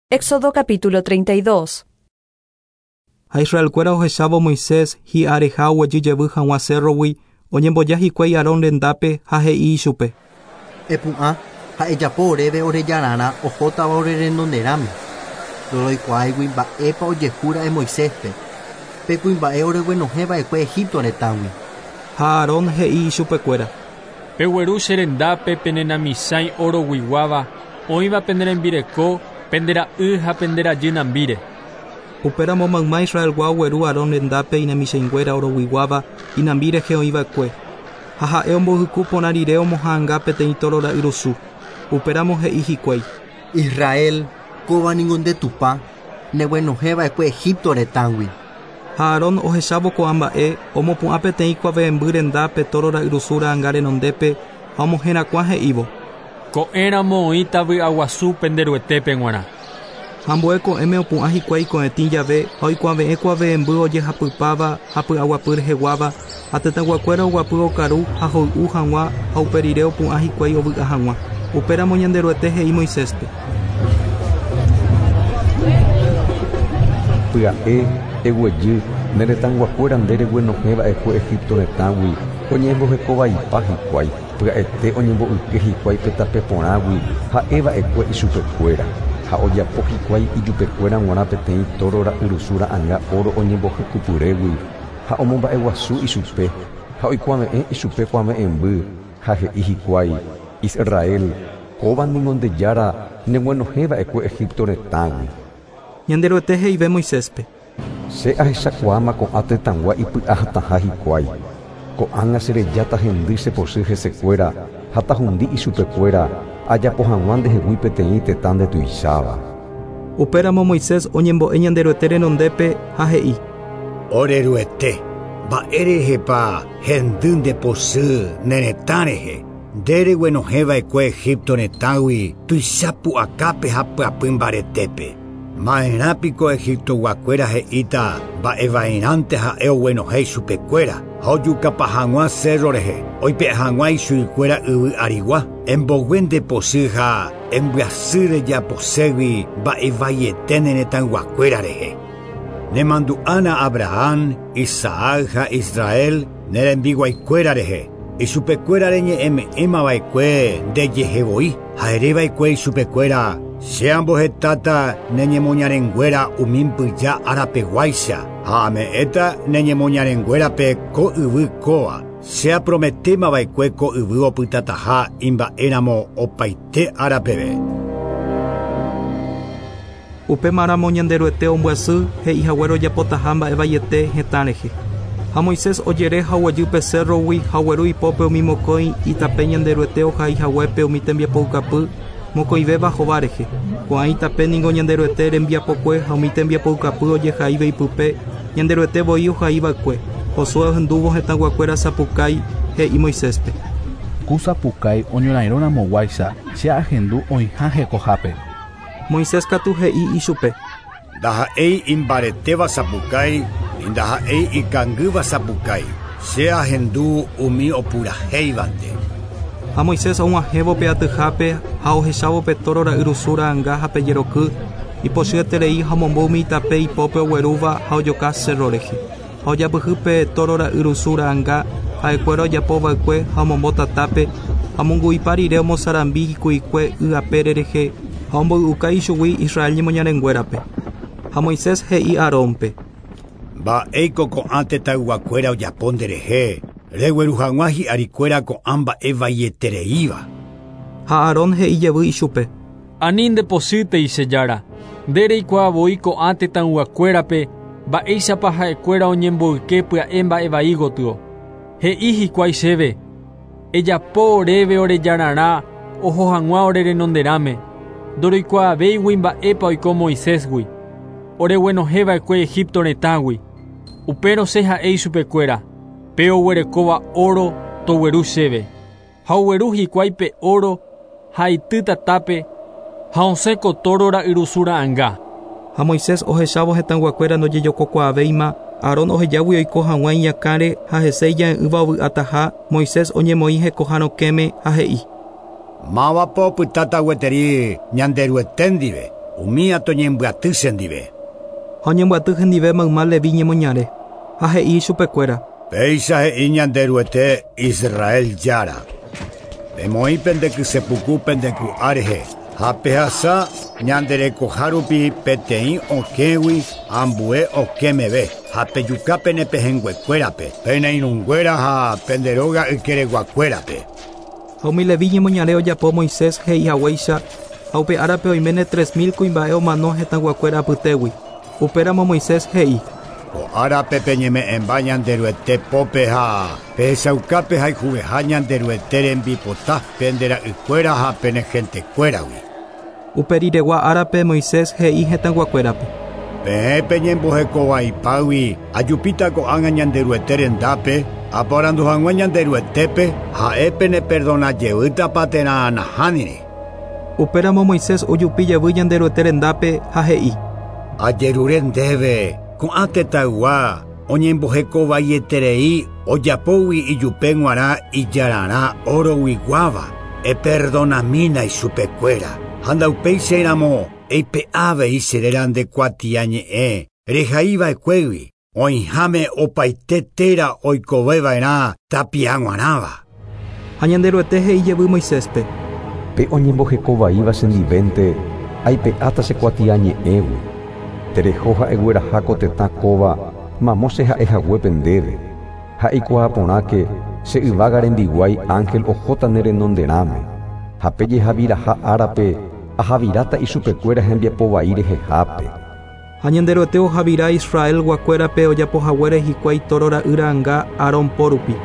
Éxodo capítulo 32. Ha Israelkuéra ohechávo Moisés hi'areha oguejy jevy hag̃ua cérrogui, oñemboja hikuái Aarón rendápe ha he'i ichupe. Epu'ã ha ejapo oréve ore jararã ohótava ore renonderãme. Ndoroikuaáigui mba'épa ojehúra'e Moiséspe, pe kuimba'e oreguenohẽva'ekue Egipto retãgui. Ha Aarón he'i ichupekuéra. Pegueru che rendápe pene namisãi oroguiguáva, oĩva pene rembireko, pende ra'y ha pende rajy nambíre. Upéramo mayma Israelgua ogueru Aarón rendápe inamichãinguéra oroguiguáva inambi rehe oĩva'ekue. Ha ha'e ombohyku porã rire omoha'anga peteĩ tóro ra'yrusu. Upéramo he'i hikuái. Israel, kóva ningo nde Tupã, neguenohẽva'ekue Egipto retãgui. Ha Aarón ohechávo ko'ã mba'e, omopu'ã peteĩ kuave'ẽmby renda pe tóro ra'yrusu ra'anga renondépe ha omoherakuã he'ívo. Ko'ẽramo oĩta vy'aguasu pende Ruetépe g̃uarã. Ha ambue ko'ẽme opu'ã hikuái ko'ẽtĩ jave ha oikuave'ẽ kuave'ẽmby ojehapypáva ha py'aguapy reheguáva, ha tetãyguakuéra oguapy okaru ha hoy'u hag̃ua ha upe rire opu'ã hikuái ovy'a hag̃ua. Upéramo Ñanderuete he'i Moiséspe. Pya'e, eguejy, ne retãyguakuéra nde reguenohẽ va'ekue Egipto retãgui, oñembohekovaipa hikuái, pya'ete oñembo'yke hikuái pe tape porãgui ha'e va'ekue ichupekuéra, ha ojapo hikuái ijupekuéra g̃uarã peteĩ tóro ra'yrusu ra'anga óro oñembohykupyrégui, ha omomba'eguasu ichupe, ha oikuave'ẽ ichupe kuave'ẽmby, ha he'i hikuái, Israel, kóva ningo nde Jára neguenohẽ va'ekue Egipto retãgui. Ñanderuete he'ive Moiséspe. Che ahechakuaáma ko'ã tetãgua ipy'ahatãha hikuái. Ko'ág̃a che rejáta hendy che pochy hesekuéra ha tahundi ichupekuéra, ajapo hag̃ua ndehegui peteĩ tetã ndetuicháva. Upéramo Moisés oñembo'e Ñanderuete renondépe ha he'i. Ore Ruete, mba'érehepa hendy nde pochy ne retã rehe, nde reguenohẽva'ekue Egipto retãgui tuicha pu'akápe ha pyapy mbaretépe. Ma'erã piko Egiptoguakuéra he'íta mba'evairãnte ha'e oguenohẽ ichupekuéra ha ojukapa hag̃ua cerro rehe, oipe'a hag̃ua ichuikuéra yvy arigua, embogue nde pochy ha embyasy rejaposégui mba'evaiete ne retãyguakuéra rehe. Nemandu'ána Abraham, Isaac ha Israel ne rembiguaikuéra rehe, ichupekuéra reñe'ẽme'ẽmava'ekue ndejehevoi ha ereva'ekue ichupekuéra che ambohetáta ne ñemoñarenguéra umi mbyja arapeguáicha ha ame'ẽta ne ñemoñarenguérape ko yvy kóva, che aprometémava'ekue ko yvy opytataha imba'éramo opaite árapeve. Upémaramo Ñanderuete ombyasy he'ihaguére ojapotaha mba'evaiete hetã rehe. Ha Moisés ojere ha oguejy pe cérrogui ha ogueru ipópe umi mokõi itape Ñanderuete ohaihaguépe umi tembiapoukapy mokõivéva hova rehe. Ko'ã itape ningo Ñanderuete rembiapokue ha umi tembiapoukapy ojehaíva ipype Ñanderuete voi ohaiva'ekue. Josué ohendúvo hetãguakuéra sapukái he'i Moiséspe. Ku sapukái oñorairõramoguáicha che ahendu oĩha hekohápe. Moisés katu he'i ichupe. Ndaha'éi imbaretéva sapukái, ndaha'éi ikangýva sapukái, che ahendu umi opurahéivante. Ha Moisés og̃uahẽvo pe atyhápe ha ohechávo pe tóro ra'yrusu ra'anga ha pe jeroky, ipochyeterei ha omombo umi itape ipópe oguerúva ha ojoka cerro rehe. Ha ojapyhy pe tóro ra'yrusu ra'anga ha'ekuéra ojapova'ekue ha omombo tatápe, ha omongu'ipa rire omosarambi hiku'ikue y apére rehe ha omboy'uka ichugui Israel ñemoñarenguérape. Ha Moisés he'i Aarónpe. Mba'éiko ko'ã tetãyguakuéra ojapo nderehe, regueru hag̃ua hi'arikuéra ko'ã mba'evaietereíva. Ha Aarón he'i jevy ichupe. Ani ndepochýtei che Jára, nde reikuaavoi ko'ã tetãyguakuérape mba'éichapa ha'ekuéra oñemboyke pya'e mba'evai gotyo. He'i hikuái chéve, ejapo oréve orejararã oho hag̃ua ore renonderãme, ndoroikuaavéigui mba'épa oiko Moisésgui, oreguenohẽva'ekue Egipto retãgui. Upérõ che ha'e ichupekuéra, pe oguerekóva oro togueru chéve. Ha ogueru hikuái pe oro ha ity tatápe ha osẽ ko tóro ra'yrusu ra'anga. Ha Moisés ohechávo hetãyguakuéra ndojejokokuaavéima, Aarón ohejágui oiko hag̃ua iñakãre ha hese ija'e'ỹva ovy'ataha, Moisés oñemoĩ hekoha rokẽme ha he'i. Mávapa opytáta gueteri Ñanderuete ndive, Umía toñembyaty chendive. Ha oñembyaty hendive mayma Levi ñemoñare, ha he'i ichupekuéra. Péicha he'i Ñanderuete Israel Jára, Pemoĩ pende kysepuku pende ku'a rehe, ha pehasa ñande rekoha rupi peteĩ okẽgui ambue okẽ meve, ha pejuka pene pehẽnguekuérape, pene irũnguéra ha pende róga ykereguakuérape. Ha umi Levi ñemoñare ojapo Moisés he'i haguéicha, ha upe árape oiméne 3000 kuimba'e omano hetãguakuéra apytégui. Upéramo Moisés he'i. Ko árape peñeme'ẽmba Ñanderuete pópe ha pehechauka pehayhuveha Ñanderuete rembipota pende ra'ykuéra ha pene gentekuéragui. Upe riregua árape Moisés he'i hetãguakuérape. Peẽ peñembohekovaipágui ajupíta ko'ág̃a Ñanderuete rendápe, aporandu hag̃ua Ñanderuetépe, ha'e peneperdonajevýtapa térã nahániri. Upéramo Moisés ojupi jevy Ñanderuete rendápe ha he'i. Ajerure ndéve ko'ã tetãygua oñembohekovaieterei ojapógui ijupe g̃uarã ijararã oroguiguáva, eperdonamína ichupekuéra. Ha ndaupéichairamo eipe'a avei che réra nde kuatiañe'ẽ rehaiva'ekuégui, oĩháme opaite téra oikoveva'erã tapia g̃uarãva. Ha Ñanderuete he'i jevy Moiséspe. Pe oñembohekovaíva chendivénte aipe'áta che kuatiañe'ẽgui. Tereho ha'egueraha ko tetã kóva mamo che ha'ehaguépe ndéve. Ha eikuaa porãke che yvága rembiguái ángel ohóta ne renonderãme. Ha pe jehaviraha árape ahaviráta ichupekuéra hembiapovai rehehápe. Ha Ñanderuete ohavira Israelguakuérape ojapohaguére hikuái tóro ra'y ra'ãnga Aarón po rupi.